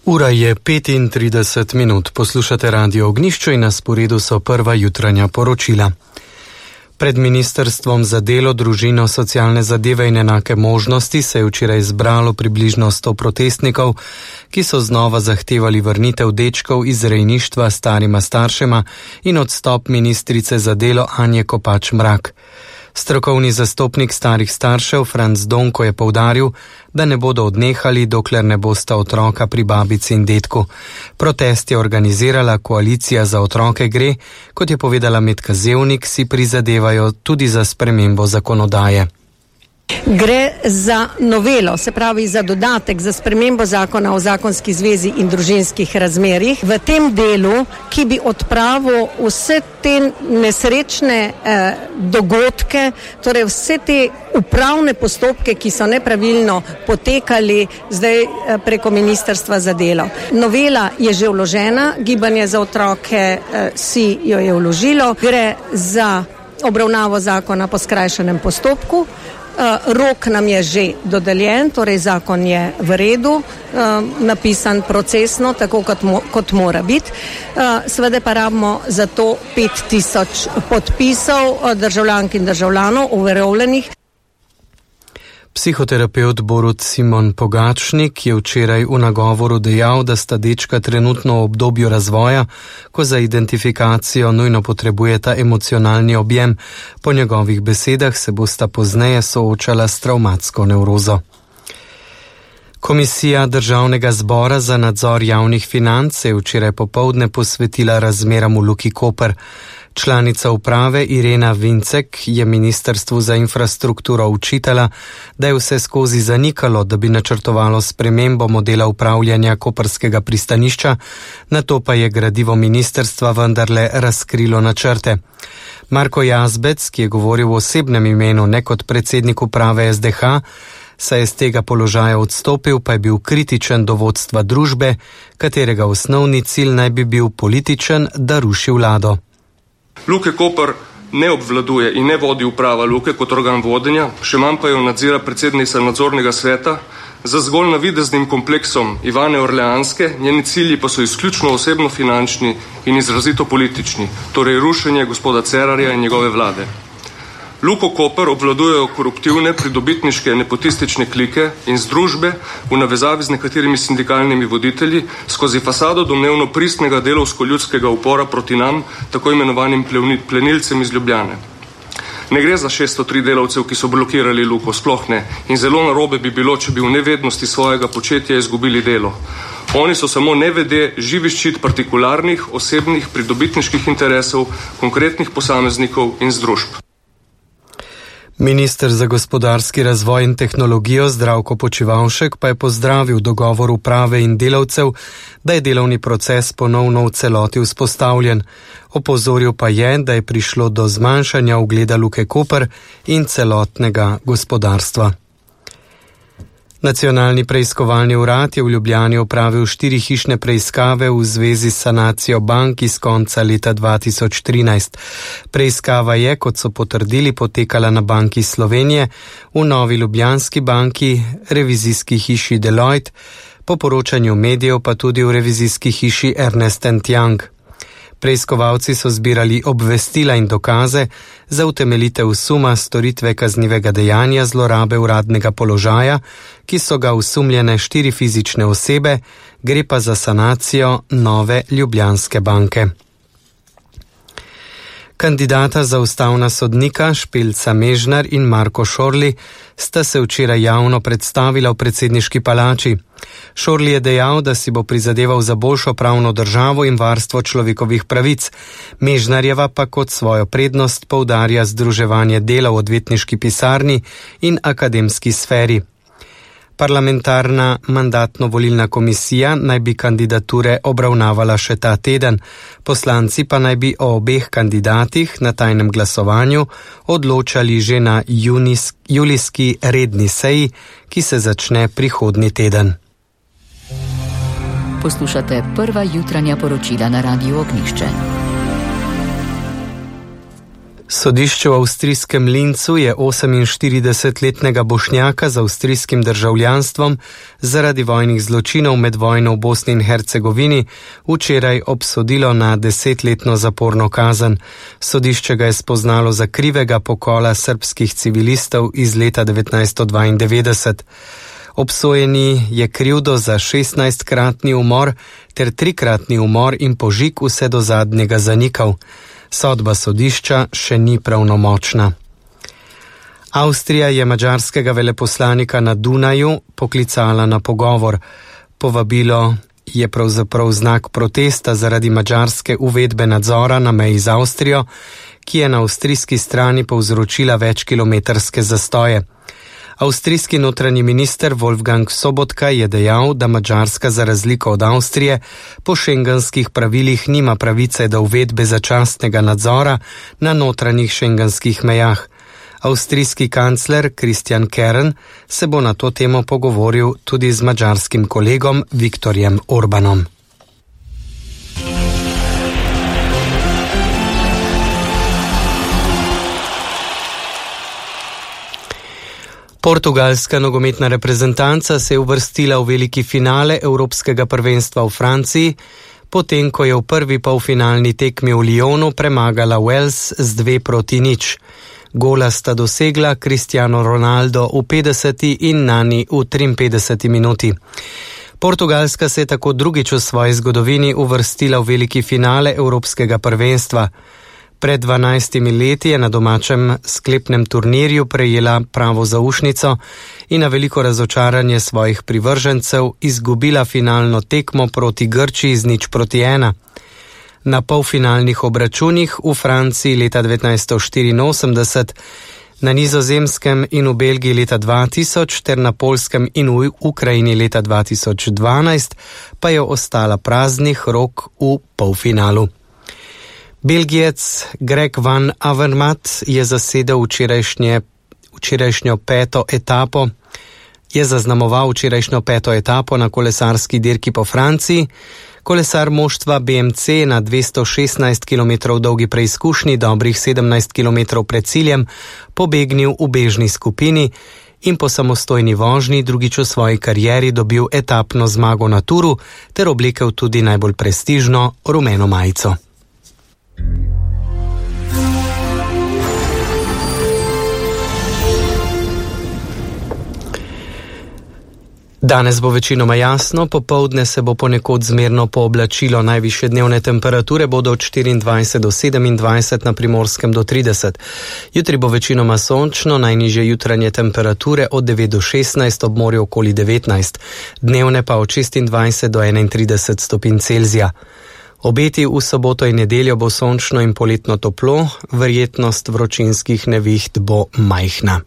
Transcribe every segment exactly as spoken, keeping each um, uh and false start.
Ura je petintrideset minut, poslušate Radio Ognjišče in na sporedu so prva jutranja poročila. Pred Ministrstvom za delo, družino, socialne zadeve in enake možnosti se je včeraj zbralo približno sto protestnikov, ki so znova zahtevali vrnitev dečkov iz rejništva starima staršema in odstop ministrice za delo Anje Kopač Mrak. Strokovni zastopnik starih staršev Franc Donko je poudaril, da ne bodo odnehali, dokler ne bosta otroka pri babici in dedku. Protest je organizirala Koalicija za otroke gre, kot je povedala Metka Zevnik, si prizadevajo tudi za spremembo zakonodaje. Gre za novelo, se pravi za dodatek za spremembo zakona o zakonski zvezi in družinskih razmerjih v tem delu, ki bi odpravil vse te nesrečne eh, dogodke, torej vse te upravne postopke, ki so nepravilno potekali zdaj eh, preko Ministrstva za delo. Novela je že vložena, Gibanje za otroke eh, si jo je vložilo, gre za obravnavo zakona po skrajšanem postopku. Uh, rok nam je že dodeljen, torej zakon je v redu, uh, napisan procesno, tako kot, mo- kot mora biti. Uh, Seveda pa rabimo za to pet tisoč podpisov uh, državljank in državljanov uveljavljenih. Psihoterapevt Borut Simon Pogačnik je včeraj v nagovoru dejal, da sta dečka trenutno v obdobju razvoja, ko za identifikacijo nujno potrebujeta emocionalni objem. Po njegovih besedah se bosta pozneje soočala s travmatsko nevrozo. Komisija Državnega zbora za nadzor javnih financ se je včeraj popoldne posvetila razmeram v Luki Koper. Članica uprave Irena Vincek je Ministrstvu za infrastrukturo učitala, da je vse skozi zanikalo, da bi načrtovalo spremembo modela upravljanja koprskega pristanišča, nato pa je gradivo ministrstva vendarle razkrilo načrte. Marko Jazbec, ki je govoril v osebnem imenu, ne kot predsednik uprave S D H, saj je z tega položaja odstopil, pa je bil kritičen do vodstva družbe, katerega osnovni cilj naj bi bil političen, da ruši vlado. Luke Koper ne obvladuje in ne vodi uprava Luke kot organ vodenja, še manj pa jo nadzira predsednica nadzornega sveta. Za zgolj navideznim kompleksom Ivane Orleanske njeni cilji pa so izključno osebno finančni in izrazito politični, torej rušenje gospoda Cerarja in njegove vlade. Luko Koper obvladujejo koruptivne, pridobitniške, nepotistične klike in združbe v navezavi z nekaterimi sindikalnimi voditelji skozi fasado domnevno pristnega delovsko-ljudskega upora proti nam, tako imenovanim plenilcem iz Ljubljane. Ne gre za šeststo tri delavcev, ki so blokirali Luko, sploh ne, in zelo narobe bi bilo, če bi v nevednosti svojega početja izgubili delo. Oni so samo nevede živi ščit partikularnih, osebnih, pridobitniških interesov, konkretnih posameznikov in združb. Minister za gospodarski razvoj in tehnologijo Zdravko Počivalšek pa je pozdravil dogovor uprave in delavcev, da je delovni proces ponovno v celoti vzpostavljen. Opozoril pa je, da je prišlo do zmanjšanja ugleda Luke Koper in celotnega gospodarstva. Nacionalni preiskovalni urad je v Ljubljani opravil štiri hišne preiskave v zvezi s sanacijo bank iz konca leta dva tisoč trinajst. Preiskava je, kot so potrdili, potekala na Banki Slovenije, v Novi Ljubljanski banki, revizijski hiši Deloitte, po poročanju medijev pa tudi v revizijski hiši Ernst and Young. Preiskovalci so zbirali obvestila in dokaze za utemeljitev suma storitve kaznivega dejanja zlorabe uradnega položaja, ki so ga osumljene štiri fizične osebe, gre pa za sanacijo Nove Ljubljanske banke. Kandidata za ustavna sodnika Špelca Mežnar in Marko Šorli sta se včeraj javno predstavila v predsedniški palači. Šorli je dejal, da si bo prizadeval za boljšo pravno državo in varstvo človekovih pravic. Mežnarjeva pa kot svojo prednost poudarja združevanje dela v odvetniški pisarni in akademski sferi. Parlamentarna mandatno-volilna komisija naj bi kandidature obravnavala še ta teden. Poslanci pa naj bi o obeh kandidatih na tajnem glasovanju odločali že na junis, julijski redni seji, ki se začne prihodnji teden. Poslušate prva jutranja poročila na Radiu Ognjišče. Sodišče v avstrijskem Lincu je oseminštiridesetletnega Bošnjaka z avstrijskim državljanstvom zaradi vojnih zločinov med vojno v Bosni in Hercegovini včeraj obsodilo na desetletno zaporno kazen. Sodišče ga je spoznalo za krivega pokola srbskih civilistov iz leta devetnajststo dvaindevetdeset. Obsojeni je krivdo za šestnajstkratni umor ter trikratni umor in požig vse do zadnjega zanikal. Sodba sodišča še ni pravnomočna. Avstrija je madžarskega veleposlanika na Dunaju poklicala na pogovor. Povabilo je pravzaprav znak protesta zaradi madžarske uvedbe nadzora na meji z Avstrijo, ki je na avstrijski strani povzročila večkilometrske zastoje. Avstrijski notranji minister Wolfgang Sobotka je dejal, da Madžarska za razliko od Avstrije po šengenskih pravilih nima pravice do uvedbe začasnega nadzora na notranjih šengenskih mejah. Avstrijski kancler Christian Kern se bo na to temo pogovoril tudi z madžarskim kolegom Viktorjem Orbanom. Portugalska nogometna reprezentanca se je uvrstila v veliki finale Evropskega prvenstva v Franciji, potem ko je v prvi polfinalni tekmi v Lyonu premagala Wales z dve proti nič. Gola sta dosegla Cristiano Ronaldo v petdeseti in Nani v triinpetdeseti minuti. Portugalska se je tako drugič v svoji zgodovini uvrstila v veliki finale Evropskega prvenstva. Pred dvanajstimi leti je na domačem sklepnem turnirju prejela pravo zaušnico in na veliko razočaranje svojih privržencev izgubila finalno tekmo proti Grčiji z nič proti ena. Na polfinalnih obračunih v Franciji leta devetnajststo štiriinosemdeset, na Nizozemskem in v Belgiji leta dva tisoč ter na Poljskem in v Ukrajini leta dva tisoč dvanajst pa je ostala praznih rok v polfinalu. Belgijec Greg van Avermaet je zasedel včerajšnje, včerajšnjo peto etapo, je zaznamoval včerajšnjo peto etapo na kolesarski dirki po Franciji. Kolesar moštva B M C na dvesto šestnajst kilometrov dolgi preizkušnji, dobrih sedemnajst kilometrov pred ciljem, pobegnil v bežni skupini in po samostojni vožnji drugič v svoji karieri dobil etapno zmago na Turu ter oblekel tudi najbolj prestižno rumeno majico. Danes bo večinoma jasno, popoldne se bo ponekod zmerno pooblačilo, najvišje dnevne temperature bodo od štiriindvajset do sedemindvajset, na Primorskem do trideset. Jutri bo večinoma sončno, najnižje jutranje temperature od devet do šestnajst, ob morju okoli devetnajst, dnevne pa od šestindvajset do enaintrideset stopinj Celzija. Obeti v soboto in nedeljo bo sončno in poletno toplo, verjetnost vročinskih neviht bo majhna.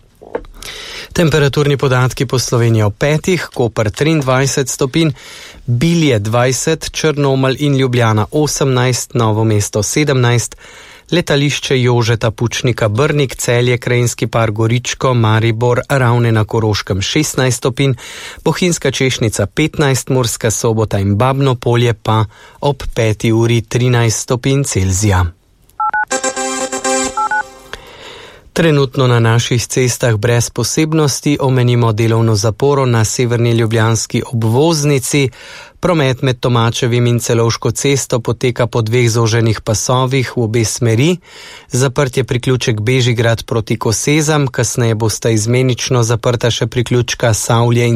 Temperaturni podatki po Sloveniji ob petih, Koper triindvajset stopinj, Bilje dvajset, Črnomelj in Ljubljana osemnajst, Novo mesto sedemnajst, letališče Jožeta Pučnika Brnik, Celje, Krajinski park Goričko, Maribor, Ravne na Koroškem šestnajst stopinj, Bohinjska Češnica petnajst, Murska Sobota in Babno Polje pa ob peti uri trinajst stopinj Celzija. Trenutno na naših cestah brez posebnosti omenimo delovno zaporo na severni ljubljanski obvoznici. Promet med Tomačevim in Celovško cesto poteka po dveh zoženih pasovih v obe smeri. Zaprt je priključek Bežigrad proti Kosezam, kasneje bosta izmenično zaprta še priključka Savlje in